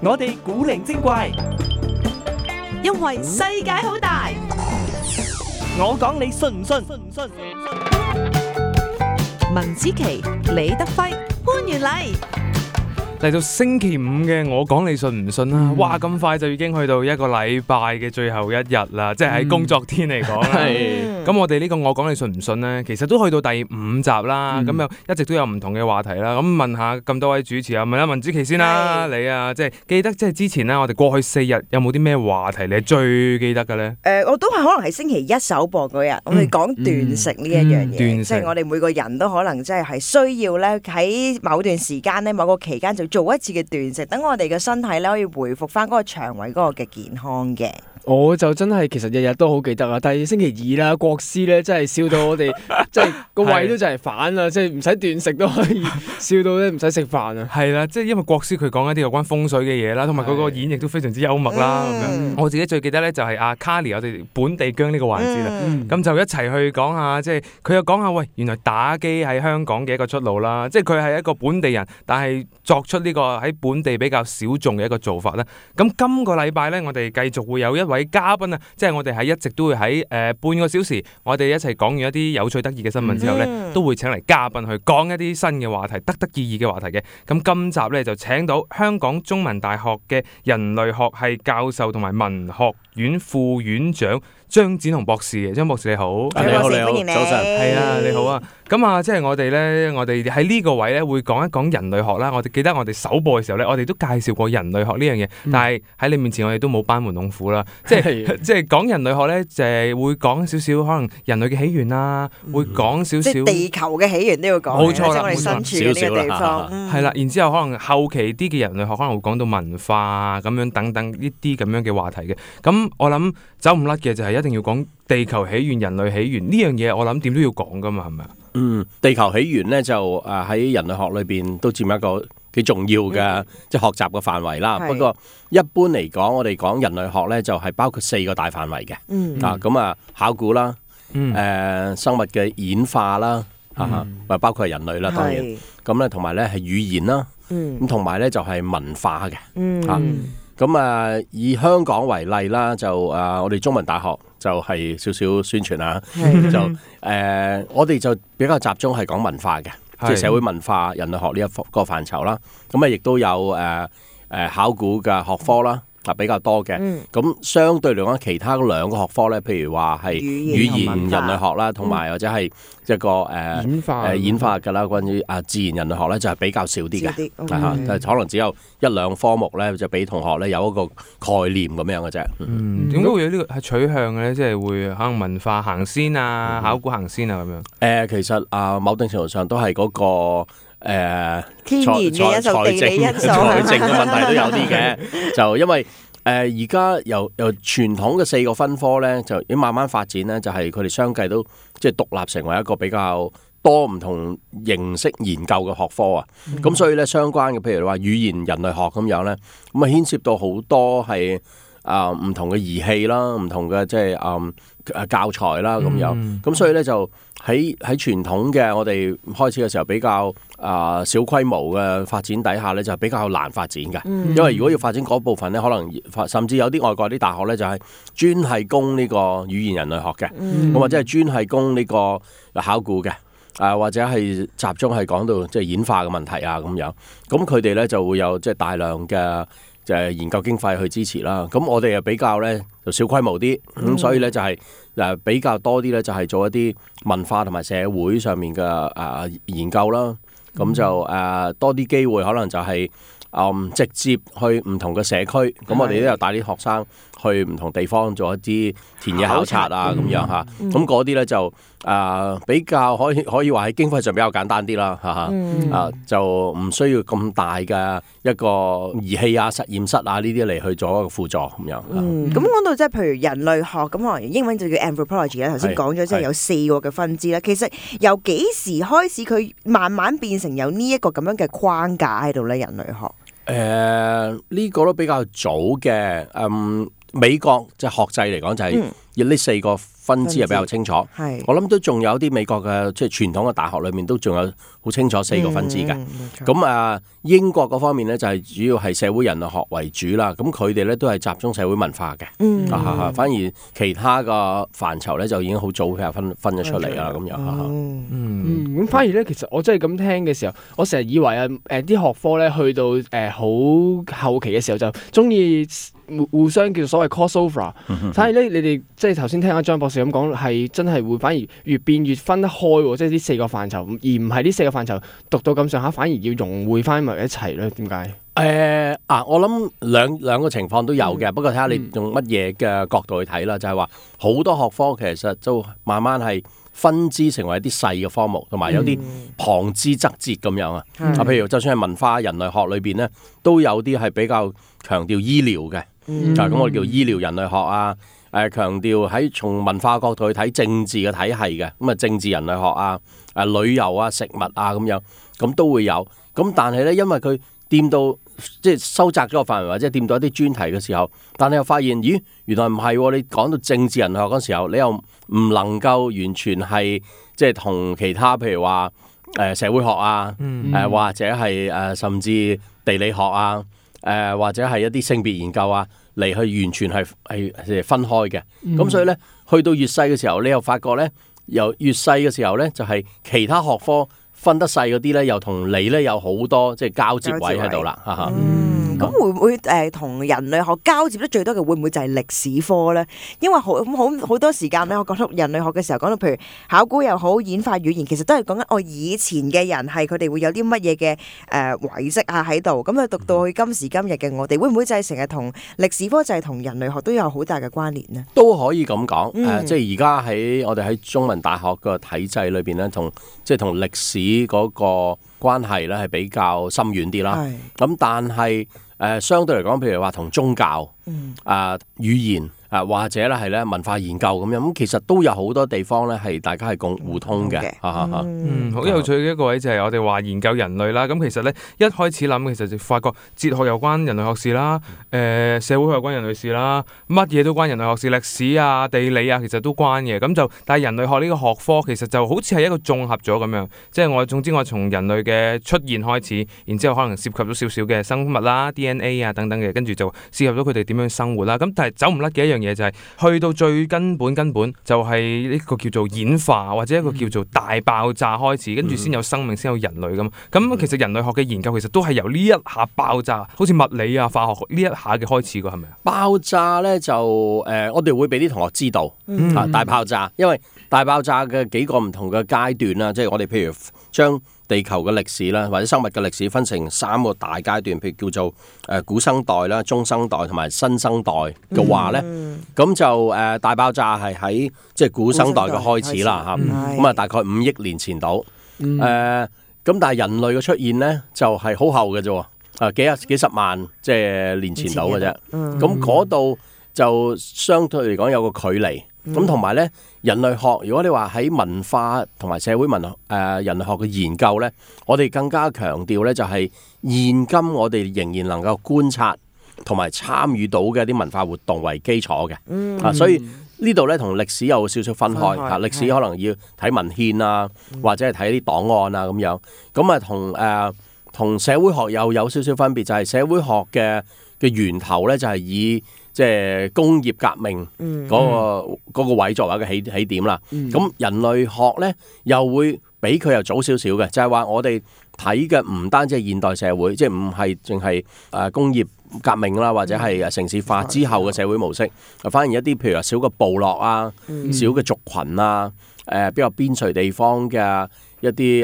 我哋古靈精怪，因為世界好大。我講你信唔信？文子琪、李德輝、潘元禮。嚟到星期五嘅我講你信唔信啦？哇，咁快就已經去到一個禮拜嘅最後一日啦，即係喺工作天嚟講啦。咁我哋呢個我講你信唔信呢？其實都去到第5集啦，咁又一直都有唔同嘅話題啦。咁問下咁多位主持啊，問下文子琪先啦，你啊，即係記得即係之前呢，我哋過去4日有冇啲咩話題你係最記得嘅呢？我都係可能係星期一首播嗰日，我哋講斷食呢一樣嘢，即係我哋每個人都可能即係需要咧喺某段時間咧、某個期間就做一次嘅斷食，等我哋嘅身體咧可以回復翻嗰個腸胃嗰個嘅健康嘅。我就真係其實日日都好記得啊！但係星期2啦，國師咧真係笑到我哋，即係個胃都就係反啦，即係唔使斷食都可以笑到咧唔使食飯啊！係啦，即係因為國師佢講一啲有關風水嘅嘢啦，同埋佢個演繹都非常之幽默啦。咁樣我自己最記得咧就係阿 Carly 我哋本地姜呢個環節啦，咁就一齊去講下，即係佢又講下喂，原來打機喺香港嘅一個出路啦，即係佢係一個本地人，但係作出呢個喺本地比較小眾嘅一個做法啦。咁今個禮拜咧，我哋繼續會有一位嘉賓啊，即係我哋一直都會喺半個小時，我哋一齊講完一啲有趣得意嘅新聞之後咧，都會請嚟嘉賓去講一啲新嘅話題，得意義嘅話題嘅。咁今集咧就請到香港中文大學嘅人類學系教授同埋文學院副院長張展鴻博士嘅。張博士你好。你好，歡迎你。早晨。係啊，你好啊。咁啊，即係我哋喺呢個位咧會講一講人類學啦。我哋記得我哋首播嘅時候咧，我哋都介紹過人類學呢樣嘢，但係喺你面前我哋都冇班門弄斧啦。即係講人類學咧，就係會講少少可能人類嘅起源啦，會講少少即係地球嘅起源都要講，冇錯啦，我哋身處嘅呢個地方。係啦，然之後可能後期啲嘅人類學可能會講到文化啊咁樣等等呢啲咁樣嘅話題嘅。咁我諗走唔甩嘅就係一定要講地球起源、人類起源呢樣嘢，我諗點都要講噶嘛，係咪啊？地球起源咧就喺人類學裏邊都佔一個幾重要嘅即係學習嘅範圍啦。不過一般嚟講，我哋講人類學咧就係包括4個大範圍嘅。咁考古啦，生物嘅演化啦，包括係人類啦，當然。咁咧同埋咧係語言啦，咁同埋咧就係文化嘅。咁以香港為例啦，就我哋中文大學就係少少宣傳啦，就我哋就比較集中係講文化嘅，即係社會文化、人類學呢一個範疇啦。咁亦都有考古嘅學科啦，比較多嘅。咁相對嚟講，其他2個學科咧，譬如話係語言人類學啦，同埋或者係一個演化㗎啦，關於自然人類學咧就係比較少啲嘅，但係可能只有1-2科目咧就俾同學咧有一個概念咁樣嘅啫。點解會有呢個係取向嘅咧？即係會可能文化行先啊，考古行先啊咁樣。其實某定程度上都係嗰個天然嘅因素、地理因素、財政嘅問題都有啲嘅。就因為而家由傳統嘅4個分科咧，就已經慢慢發展咧，就係佢哋相繼都即係獨立成為一個比較多唔同形式研究嘅學科啊。咁所以咧，相關嘅譬如話語言人類學咁樣咧，咁啊牽涉到好多係唔同嘅儀器啦，唔同嘅即係教材啦咁樣。咁所以咧就喺傳統嘅我哋開始嘅時候比較小規模嘅發展底下咧，就比較難發展嘅。因為如果要發展嗰部分咧，可能甚至有啲外國啲大學咧就係專係供呢個語言人類學嘅，咁或者係專係供呢個考古嘅，或者係集中係講到即係演化嘅問題啊咁樣。咁佢哋咧就會有即係大量嘅就係研究經費去支持啦。咁我哋又比較咧就小規模啲，咁所以咧就係比較多啲咧就係做一啲文化同埋社會上面嘅研究啦。咁就多啲機會可能就係直接去唔同嘅社區。咁我哋都有帶啲學生去唔同地方做一啲田野考察啊咁樣嚇。咁嗰啲咧就比較可以話喺經費上比較簡單啲啦嚇。就唔需要咁大嘅一個儀器啊、實驗室啊呢啲嚟去做一個輔助咁樣。咁講到即係譬如人類學咁，可能英文就叫 anthropology 啦。頭先講咗即係有4個嘅分支啦。其實由幾時開始佢慢慢變成有呢一個咁樣嘅框架喺度咧？人類學呢個都比較早嘅。美國即係學制嚟講就係呢4個分支係比較清楚。係我諗都仲有啲美國嘅即係傳統嘅大學裏面都仲有好清楚4個分支嘅。咁英國嗰方面咧就係主要係社會人類學為主啦。咁佢哋咧都係集中社會文化嘅。反而其他個範疇咧就已經好早佢分咗出嚟啦。咁樣咁反而咧，其實我真係咁聽嘅時候，我成日以為啲學科咧去到好後期嘅時候就中意互相叫做所謂 crossover。反而咧，你哋即係頭先聽阿張博士咁講，係真係會反而越變越分得開喎，即係呢4個範疇，而唔係呢4個範疇讀到咁上下，反而要融匯翻埋一齊咧？點解？我諗兩個情況都有嘅，不過睇下你用乜嘢嘅角度去睇啦。就係話好多學科其實都慢慢係分支成為一啲細嘅科目，同埋有啲旁支則節咁樣啊。譬如就算係文化人類學裏邊咧，都有啲係比較強調醫療嘅。咁我哋叫醫療人類學啊。強調喺從文化角度去睇政治嘅體系嘅，咁政治人類學啊、旅遊啊、食物啊咁樣，咁都會有。咁但係咧，因為佢掂到即係收窄咗個範圍，或者掂到一啲專題嘅時候，但係又發現，咦，原來唔係喎！你講到政治人類學嗰時候，你又唔能夠完全係即係同其他譬如話社會學啊，或者係甚至地理學啊，或者係一啲性別研究啊。嚟去完全係分開嘅，咁所以咧，去到越細嘅時候，你又發覺咧，由越細嘅時候咧，就係其他學科分得細嗰啲咧，又同你咧有好多即係交接位喺度啦，咁會唔會同人類學交接得最多嘅會唔會就係歷史科咧？因為好多時間咧，我覺得人類學嘅時候講到譬如考古又好，演化語言，其實都係講緊我以前嘅人係佢哋會有啲乜嘢嘅遺跡啊喺度，咁讀到去今時今日嘅我哋，會唔會就係成日同歷史科就係同人類學都有好大嘅關聯呢？都可以咁講，即係而家喺我哋喺中文大學個體制裏邊咧，同歷史嗰個關係咧係比較深遠啲啦。咁但係相對嚟講，譬如話同宗教、語言或者咧係咧文化研究咁樣，咁其實都有好多地方咧係大家係互通嘅。好有趣嘅一個位就係我哋話研究人類啦。咁其實咧一開始諗，其實就發覺哲學有關人類學事啦，社會學有關人類事啦，乜嘢都關人類學事，歷史啊、地理啊，其實都關嘅。咁就但係人類學呢個學科其實就好似係一個綜合咗咁樣，即係總之我從人類嘅出現開始，然之後可能涉及咗少少嘅生物啦、DNA 啊等等嘅，跟住就涉及咗佢哋點樣生活啦。咁但係走唔甩嘅一樣嘢就係去到最根本就係呢個叫做演化或者一個叫做大爆炸開始，跟住先有生命，先有人類咁。咁其實人類學嘅研究其實都係由呢一下爆炸，好似物理啊、化學呢一下嘅開始㗎，係咪啊？爆炸咧就我哋會俾啲同學知道大爆炸，因為大爆炸嘅幾個唔同嘅階段啦，即係我哋譬如將地球嘅歷史啦，或者生物嘅歷史分成3個大階段，譬如叫做古生代啦、中生代同埋新生代嘅話咧，咁就大爆炸係喺即係古生代嘅開始啦嚇，咁大概5億年前到，咁但係人類嘅出現咧就係好後嘅啫，幾十萬即係年前到嘅啫，咁嗰度就相對嚟講有個距離。咁同埋咧，人類學如果你話喺文化同埋社會人類學嘅研究咧，我哋更加強調咧就係現今我哋仍然能夠觀察同埋參與到嘅一啲文化活動為基礎嘅。所以呢度咧同歷史有少少分開嚇，歷史可能要睇文獻啊，或者係睇啲檔案啊咁樣。咁同社會學又有少少分別，就係社會學嘅源頭咧就係以即係工業革命嗰個位作為一個起點啦。咁人類學咧又會比佢又早少少嘅，就係話我哋睇嘅唔單止係現代社會，即係唔係淨係工業革命啦，或者係城市化之後嘅社會模式，反而一啲譬如話小嘅部落啊、小嘅族群啊、比較邊陲地方嘅一啲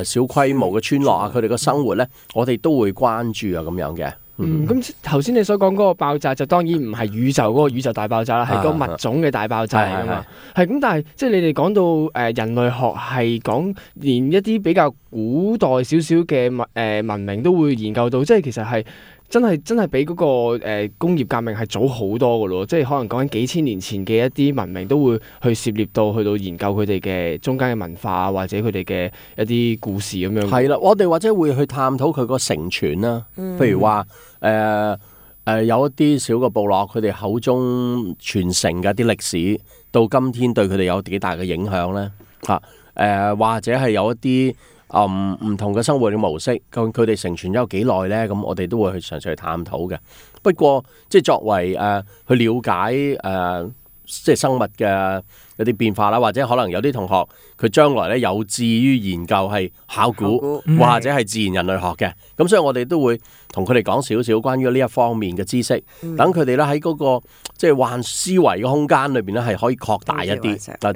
小規模嘅村落啊，佢哋嘅生活咧，我哋都會關注啊咁樣嘅。咁頭先你所講嗰個爆炸就當然唔係宇宙嗰個宇宙大爆炸啦，係嗰個物種嘅大爆炸嚟㗎嘛。係咁，但係即係你哋講到人類學係講連一啲比較古代少少嘅文明都會研究到，即係其實係真係比嗰個工業革命係早好多㗎咯。即係可能講緊幾千年前嘅一啲文明都會去涉獵到去到研究佢哋嘅中間嘅文化或者佢哋嘅一啲故事咁樣。係啦，我哋或者會去探討佢個承傳啦，譬如話有一啲小嘅部落，佢哋口中傳承嘅一啲歷史，到今天對佢哋有幾大嘅影響咧？或者係有一啲唔同嘅生活嘅模式，究竟佢哋承傳咗有幾耐咧？咁我哋都會去嘗試去探討嘅。不過即係作為去了解即係生物嘅有啲變化啦，或者可能有啲同學佢將來咧有志於研究係考古或者係自然人類學嘅，咁所以我哋都會同佢哋講少少關於呢一方面嘅知識，等佢哋咧喺嗰個即係幻思維嘅空間裏邊咧係可以擴大一啲，嗱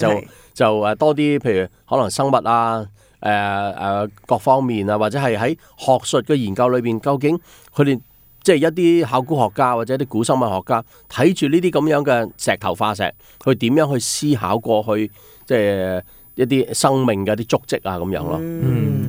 就多啲，譬如可能生物啊各方面啊，或者係喺學術嘅研究裏邊，究竟佢哋即係一啲考古學家或者一啲古生物學家睇住呢啲咁樣嘅石頭化石，佢點樣去思考過去即係一啲生命嘅一啲足跡啊咁樣咯。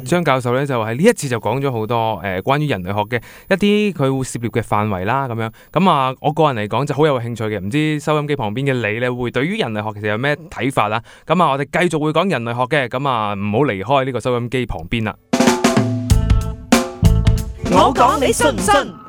張教授咧就喺呢一次就講咗好多關於人類學嘅一啲佢會涉獵嘅範圍啦咁樣。咁啊，我個人嚟講就好有興趣嘅，唔知收音機旁邊嘅你咧會對於人類學其實有咩睇法啦？咁啊，我哋繼續會講人類學嘅，咁啊唔好離開呢個收音機旁邊啦。我講你信唔信？